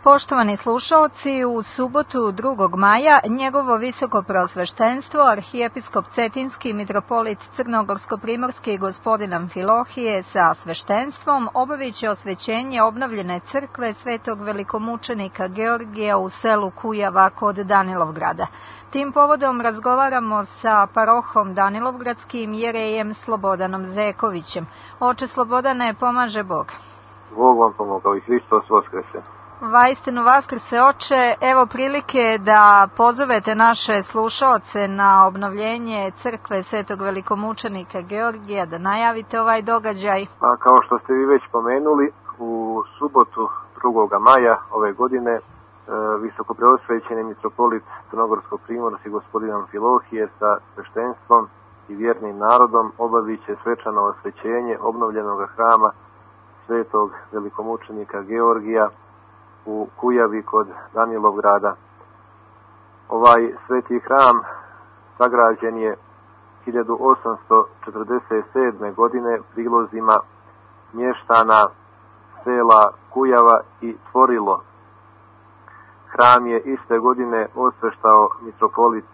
Poštovani slušaoci, u subotu 2. maja njegovo visoko preosveštenstvo, arhijepiskop Cetinski mitropolit Crnogorsko-primorski gospodin Amfilohije sa sveštenstvom obavit će osvećenje obnovljene crkve svetog velikomučenika Georgija u selu Kujava kod Danilovgrada. Tim povodom razgovaramo sa parohom Danilovgradskim jerejem Slobodanom Zekovićem. Oče Slobodane, pomaže Bog. Bog vam pomogao i Hristos Vaskrese. Vaistinu Vaskrse, oče, evo prilike da pozovete naše slušaoce na obnovljenje crkve svetog velikomučenika Georgija, da najavite ovaj događaj. A kao što ste vi već pomenuli, u subotu 2. maja ove godine visokopreosvećeni mitropolit Crnogorsko-primorski gospodin Amfilohije sa sveštenstvom i vjernim narodom obavit će svečano osvećenje obnovljenog hrama svetog velikomučenika Georgija u Kujavi kod Danilovgrada. Ovaj sveti hram sagrađen je 1847. godine prilozima mještana sela Kujava i Tvorilo. Hram je iste godine osveštao mitropolit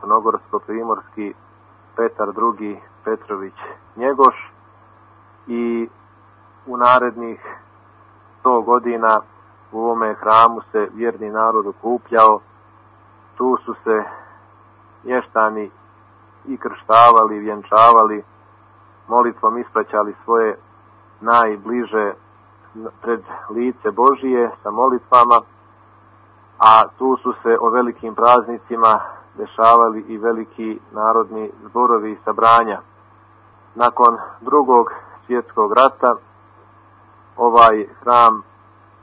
Crnogorsko-primorski Petar II. Petrović Njegoš i u narednih 100 godina u ovome hramu se vjerni narod okupljao. Tu su se mještani i krštavali, i vjenčavali, molitvom ispraćali svoje najbliže pred lice Božije sa molitvama, a tu su se o velikim praznicima dešavali i veliki narodni zborovi i sabranja. Nakon Drugog svjetskog rata ovaj hram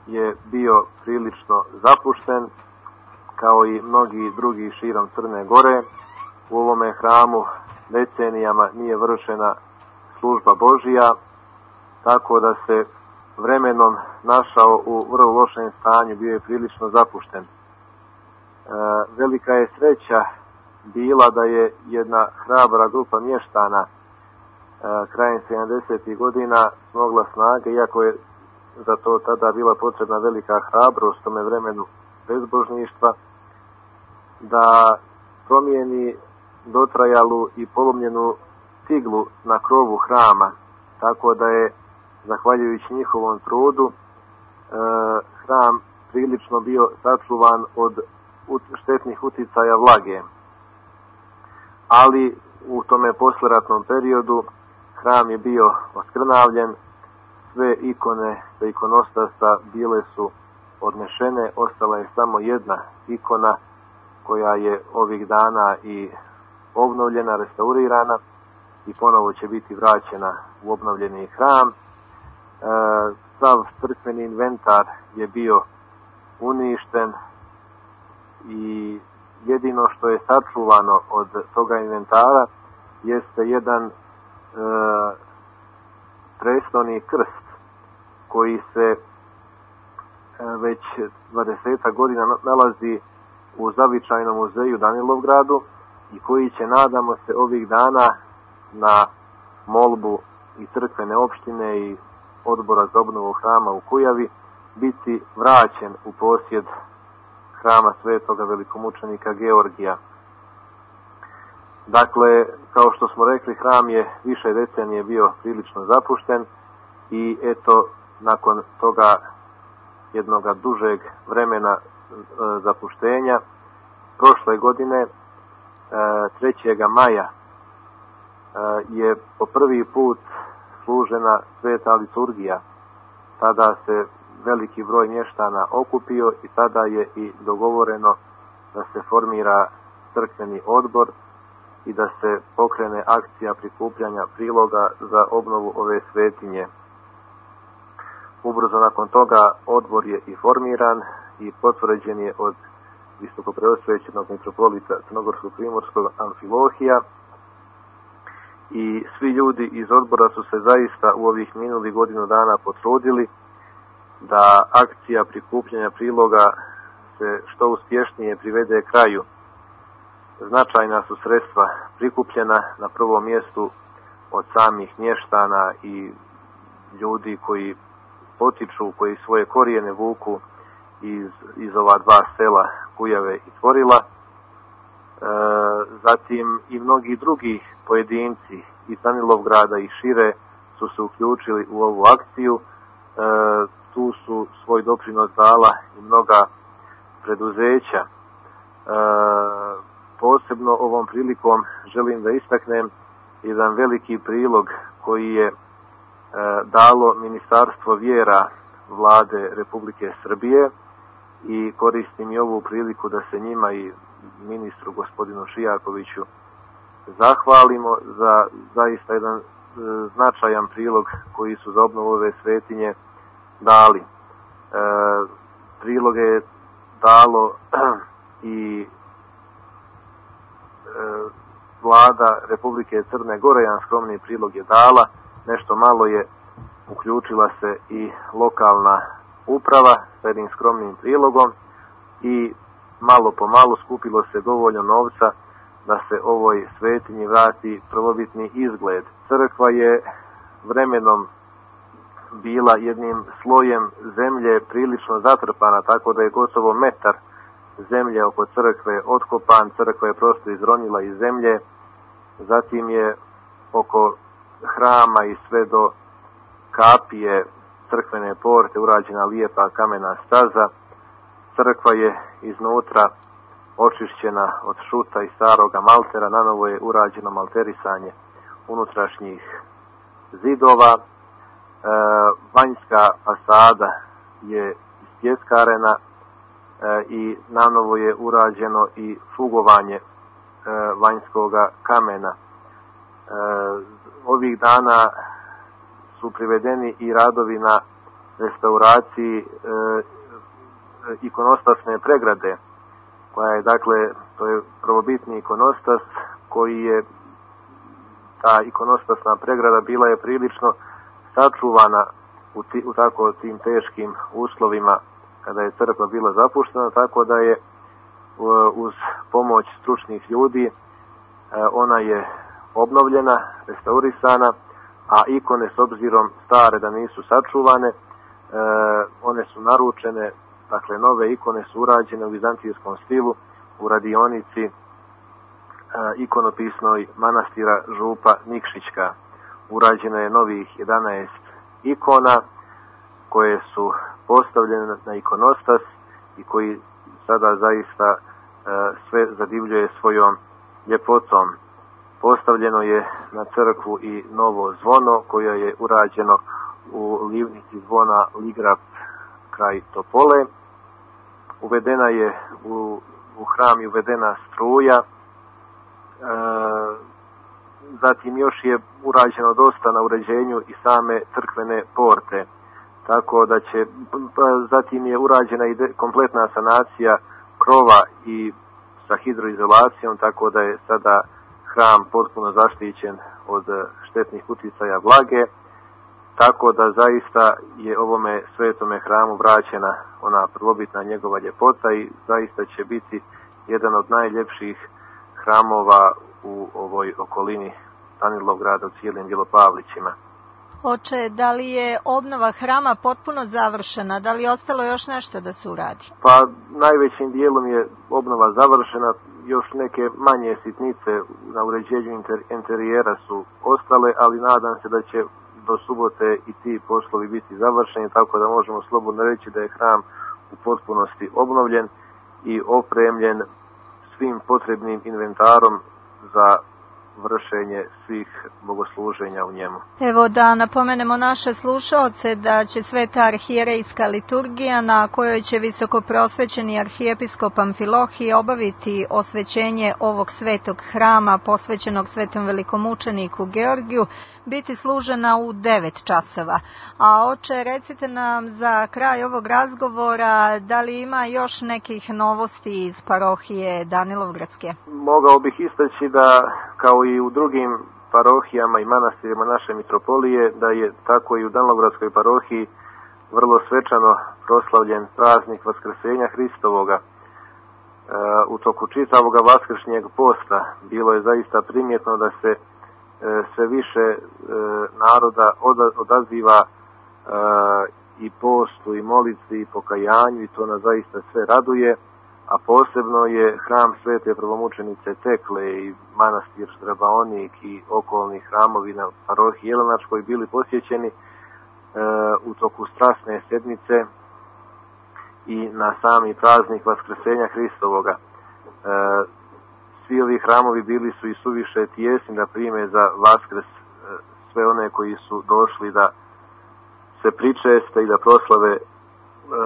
je bio prilično zapušten, kao i mnogi drugi širom Crne Gore. U ovome hramu decenijama nije vršena služba Božija, tako da se vremenom našao u vrlo lošem stanju, bio je prilično zapušten. Velika je sreća bila da je jedna hrabra grupa mještana krajem 70. godina smogla snage, iako je za to tada bila potrebna velika hrabrost tome vremenu bezbožništva, da promijeni dotrajalu i polomljenu ciglu na krovu hrama, tako da je, zahvaljujući njihovom trudu, hram prilično bio sačuvan od štetnih uticaja vlage. Ali u tome posleratnom periodu hram je bio oskrnavljen, sve ikone sa ikonostasa bile su odnešene, ostala je samo jedna ikona koja je ovih dana i obnovljena, restaurirana i ponovo će biti vraćena u obnovljeni hram. Sav crkveni inventar je bio uništen i jedino što je sačuvano od toga inventara jeste jedan prestolni krst koji se već 20 godina nalazi u zavičajnom muzeju Danilovgradu i koji će, nadamo se, ovih dana na molbu i crkvene opštine i odbora za obnovu hrama u Kujavi biti vraćen u posjed hrama svetoga velikomučenika Georgija. Dakle, kao što smo rekli, hram je više decenije bio prilično zapušten i eto, nakon toga jednoga dužeg vremena zapuštenja, prošle godine 3. maja je po prvi put služena sveta liturgija. Tada se veliki broj mještana okupio i tada je i dogovoreno da se formira crkveni odbor i da se pokrene akcija prikupljanja priloga za obnovu ove svetinje. Ubrzo nakon toga odbor je i formiran i potvrđen je od visokopreosvećenog mitropolita Crnogorsko-primorskog Amfilohija i svi ljudi iz odbora su se zaista u ovih minulih godinu dana potrudili da akcija prikupljanja priloga se što uspješnije privede kraju. Značajna su sredstva prikupljena, na prvom mjestu od samih mještana i ljudi koji potiču, koji svoje korijene vuku iz ova dva sela Kujave i Tvorila. Zatim i mnogi drugi pojedinci iz Danilovgrada i šire su se uključili u ovu akciju. Tu su svoj doprinos dala i mnoga preduzeća. Posebno ovom prilikom želim da istaknem jedan veliki prilog koji je dalo Ministarstvo vjera Vlade Republike Srbije i koristim i ovu priliku da se njima i ministru gospodinu Šijakoviću zahvalimo za zaista jedan značajan prilog koji su za obnovu ove svetinje dali. Priloge je dalo i Vlada Republike Crne Gore, jedan skromni prilog je dala, nešto malo je uključila se i lokalna uprava s jednim skromnim prilogom i malo po malo skupilo se dovoljno novca da se ovoj svetinji vrati prvobitni izgled. Crkva je vremenom bila jednim slojem zemlje prilično zatrpana, tako da je gotovo metar zemlje oko crkve otkopan, crkva je prosto izronila iz zemlje, zatim je oko hrama i sve do kapije crkvene porte urađena lijepa kamena staza. Crkva je iznutra očišćena od šuta i staroga maltera, nanovo je urađeno malterisanje unutrašnjih zidova. Vanjska fasada je ispjeskarena i nanovo je urađeno i fugovanje vanjskoga kamena. Ovih dana su privedeni i radovi na restauraciji ikonostasne pregrade, koja je, dakle, to je prvobitni ikonostas koji je, ta ikonostasna pregrada bila je prilično sačuvana u tako tim teškim uslovima kada je crkva bila zapuštena, tako da je uz pomoć stručnih ljudi ona je obnovljena, restaurisana, a ikone s obzirom stare da nisu sačuvane, one su naručene, dakle nove ikone su urađene u vizantijskom stilu u radionici ikonopisnoj manastira Župa Nikšićka. Urađeno je novih 11 ikona koje su postavljene na ikonostas i koji sada zaista sve zadivljuje svojom ljepotom. Postavljeno je na crkvu i novo zvono koje je urađeno u livnici zvona Ligrap kraj Topole. Uvedena je u hram je uvedena struja. Zatim još je urađeno dosta na uređenju i same crkvene porte. Tako da će, zatim je urađena i kompletna sanacija krova i sa hidroizolacijom, tako da je sada hram potpuno zaštićen od štetnih uticaja vlage, tako da zaista je ovome svetome hramu vraćena ona prvobitna njegova ljepota i zaista će biti jedan od najljepših hramova u ovoj okolini Danilovgrada u cijelim Bjelopavlićima. Oče, da li je obnova hrama potpuno završena? Da li je ostalo još nešto da se uradi? Pa najvećim dijelom je obnova završena, još neke manje sitnice na uređenju interijera su ostale, ali nadam se da će do subote i ti poslovi biti završeni, tako da možemo slobodno reći da je hram u potpunosti obnovljen i opremljen svim potrebnim inventarom za vršenje svih bogosluženja u njemu. Evo da napomenemo naše slušaoce da će sveta arhijerejska liturgija na kojoj će visokoprosvećeni arhijepiskop Amfilohije obaviti osvećenje ovog svetog hrama posvećenog svetom velikomučeniku Georgiju biti služena u 9 časova. A oče, recite nam za kraj ovog razgovora da li ima još nekih novosti iz parohije Danilovgradske? Mogao bih istaći da kao i u drugim parohijama i manastirima naše mitropolije, da je tako i u Danilovgradskoj parohiji vrlo svečano proslavljen praznik Vaskrsenja Hristovoga. U toku čitavoga vaskršnjeg posta bilo je zaista primjetno da se sve više naroda odaziva i postu i molitvi i pokajanju i to nas zaista sve raduje, a posebno je hram Svete prvomučenice Tekle i manastir Štrabaonik i okolni hramovi na parohiji Jelenačkoj bili posjećeni u toku strasne sedmice i na sami praznik Vaskrsenja Hristovoga. Svi ovi hramovi bili su i suviše tijesni da prime za Vaskrs sve one koji su došli da se pričeste i da proslave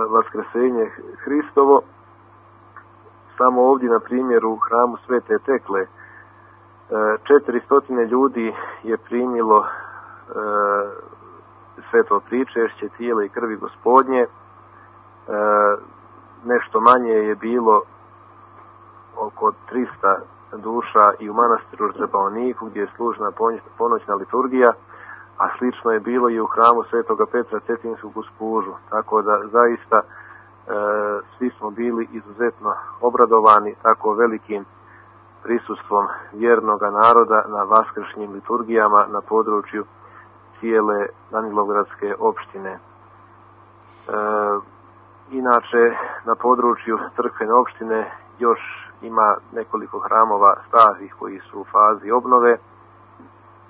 Vaskrsenje Hristovo. Samo ovdje, na primjer, u hramu Svete Tekle 400 ljudi je primilo sveto pričešće tijela i krvi Gospodnje. Nešto manje je bilo oko 300 duša i u manastiru Štrabaoniku gdje je služena ponoćna liturgija, a slično je bilo i u hramu Svetoga Petra Cetinskog u Spužu. Tako da zaista svi smo bili izuzetno obradovani tako velikim prisustvom vjernoga naroda na vaskršnjim liturgijama na području cijele Danilovgradske opštine. Inače, na području crkvene opštine još ima nekoliko hramova starih koji su u fazi obnove,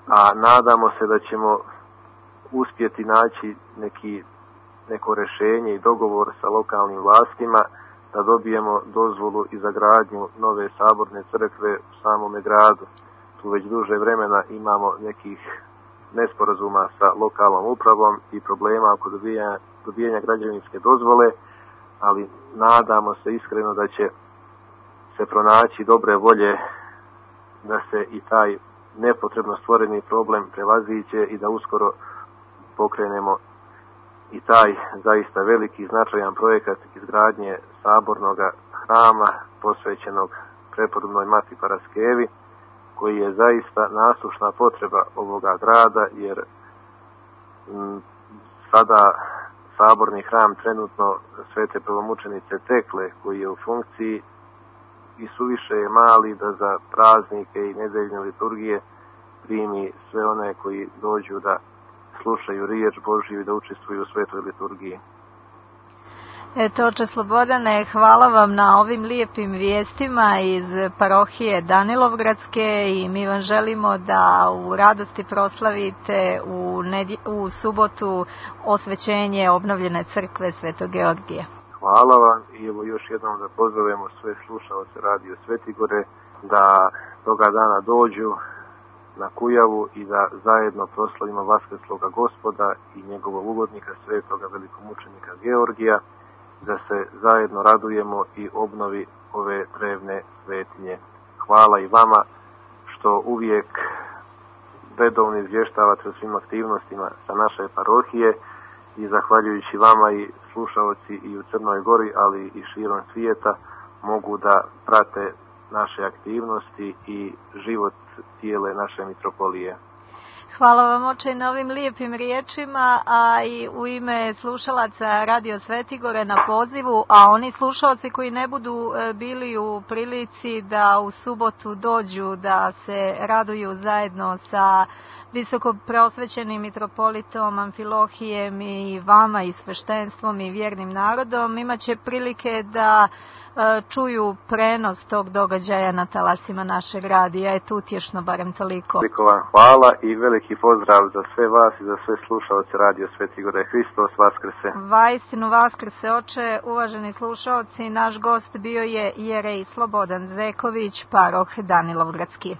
a nadamo se da ćemo uspjeti naći neko rješenje i dogovor sa lokalnim vlastima da dobijemo dozvolu i za gradnju nove saborne crkve u samome gradu. Tu već duže vremena imamo nekih nesporazuma sa lokalnom upravom i problema oko dobijanja građevinske dozvole, ali nadamo se iskreno da će se pronaći dobre volje da se i taj nepotrebno stvoreni problem prevaziđe i da uskoro pokrenemo i taj zaista veliki značajan projekat izgradnje sabornog hrama posvećenog prepodobnoj Mati Paraskevi, koji je zaista nasušna potreba ovoga grada, jer sada saborni hram trenutno Svete prvomučenice Tekle, koji je u funkciji i suviše je mali da za praznike i nedeljne liturgije primi sve one koji dođu da slušaju riječ Božju i da učestvuju u svetoj liturgiji. Eto, oče Slobodane, hvala vam na ovim lijepim vijestima iz parohije Danilovgradske i mi vam želimo da u radosti proslavite u subotu osvećenje obnovljene crkve Svetog Georgija. Hvala vam i evo još jednom da pozovemo sve slušaoce Radio Svetigore da toga dana dođu na Kujavu i da zajedno proslavimo Vaskrsloga Gospoda i njegovog ugodnika svetoga velikomučenika Georgija, da se zajedno radujemo i obnovi ove drevne svetinje. Hvala i vama što uvijek redovno izvještavate o svim aktivnostima sa naše parohije i zahvaljujući vama i slušaoci i u Crnoj Gori, ali i širom svijeta mogu da prate naše aktivnosti i život cijele naše mitropolije. Hvala vam, oče, na ovim lijepim riječima, a i u ime slušalaca Radio Svetigore na pozivu, a oni slušalci koji ne budu bili u prilici da u subotu dođu da se raduju zajedno sa visoko preosvećenim mitropolitom Amfilohijem i vama i sveštenstvom i vjernim narodom, imaće prilike da čuju prenos tog događaja na talasima našeg radija. Eto, utješno barem toliko. Veliko vam hvala i veliki pozdrav za sve vas i za sve slušaoce Radio Svetigore. Hristos Vaskrse. Vaistinu Vaskrse, oče. Uvaženi slušaoci, naš gost bio je jerej Slobodan Zeković, paroh Danilovgradski.